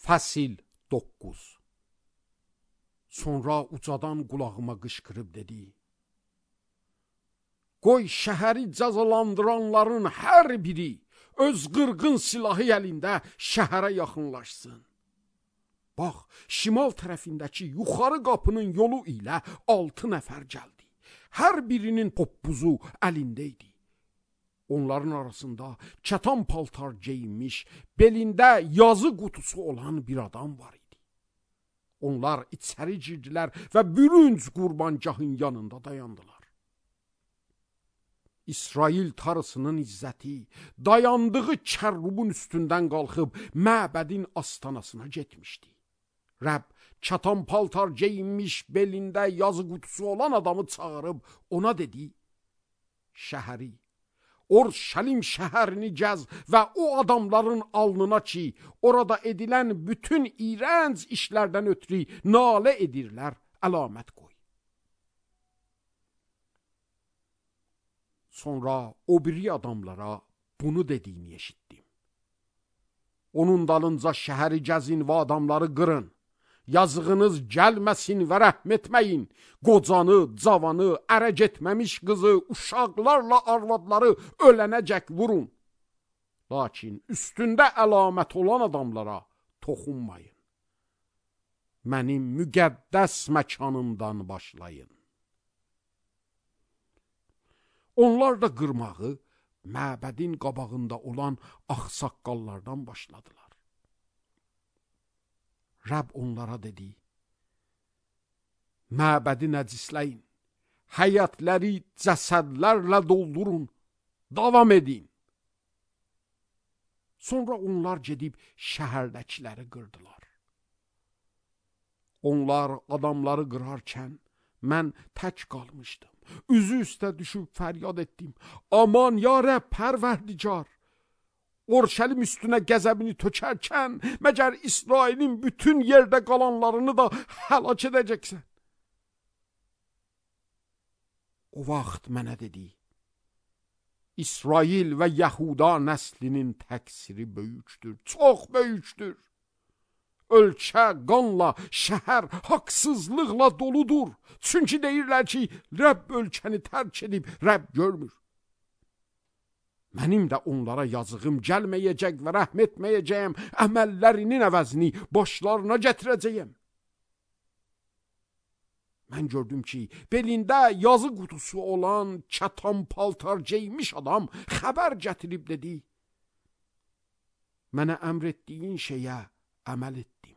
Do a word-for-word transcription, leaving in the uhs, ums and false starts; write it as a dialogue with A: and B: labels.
A: Fəsil doqquz. Sonra ucadan qulağıma qışqırıb dedi: Qoy şəhəri cəzalandıranların hər biri öz qırğın silahı əlində şəhərə yaxınlaşsın. Bax, şimal tərəfindəki yuxarı qapının yolu ilə altı nəfər gəldi. Hər birinin toppuzu əlində idi. Onların arasında kətan paltar geyinmiş, belində yazı qutusu olan bir adam var idi. Onlar içəri girdilər və bürünc qurbancahın yanında dayandılar. İsrail tarısının izzəti dayandığı kərrubun üstündən qalxıb məbədin astanasına getmişdi. Rəbb kətan paltar geyinmiş, belində yazı qutusu olan adamı çağırıb ona dedi: Şəhəri, Orshalim şəhərini gəz və o adamların alnına ki, orada edilən bütün iğrənc işlərdən ötürü nalə edirlər, əlamət qoy. Sonra o biri adamlara bunu dediyini eşitdim: Onun dalınca şəhəri gəzin və adamları qırın. Yazığınız gəlməsin və rəhm etməyin. Qocanı, cavanı, ərə getməmiş qızı, uşaqlarla arvadları ölənəcək vurun. Lakin üstündə əlamət olan adamlara toxunmayın. Mənim müqəddəs məkanımdan başlayın. Onlar da qırmağı məbədin qabağında olan ağsaqqallardan başladılar. Rəbb onlara dedi: Məbədi nəcisləyin, həyətləri cəsədlərlə doldurun, davam edin. Sonra onlar gedib şəhərdəkiləri qırdılar. Onlar adamları qırarkən mən tək qalmışdım. Üzü üstə düşüb fəryad etdim: Aman ya Rəbb Pərverdigar! Orshalim üstünə qəzəbini tökərkən məgər İsrailin bütün yerdə qalanlarını da həlak edəcəksən? O vaxt mənə dedi: İsrail və Yahuda nəslinin təqsiri böyükdür, çox böyükdür. Ölkə qanla, şəhər haqsızlıqla doludur. Çünki deyirlər ki, Rəbb ölkəni tərk edib, Rəbb görmür. Mənim də onlara yazığım gəlməyəcək və rəhm etməyəcəyəm, əməllərinin əvəzini başlarına gətirəcəyəm. Mən gördüm ki, belində yazı qutusu olan kətan paltar geymiş adam xəbər gətirib dedi: Mənə əmr etdiyin şeyə əməl etdim.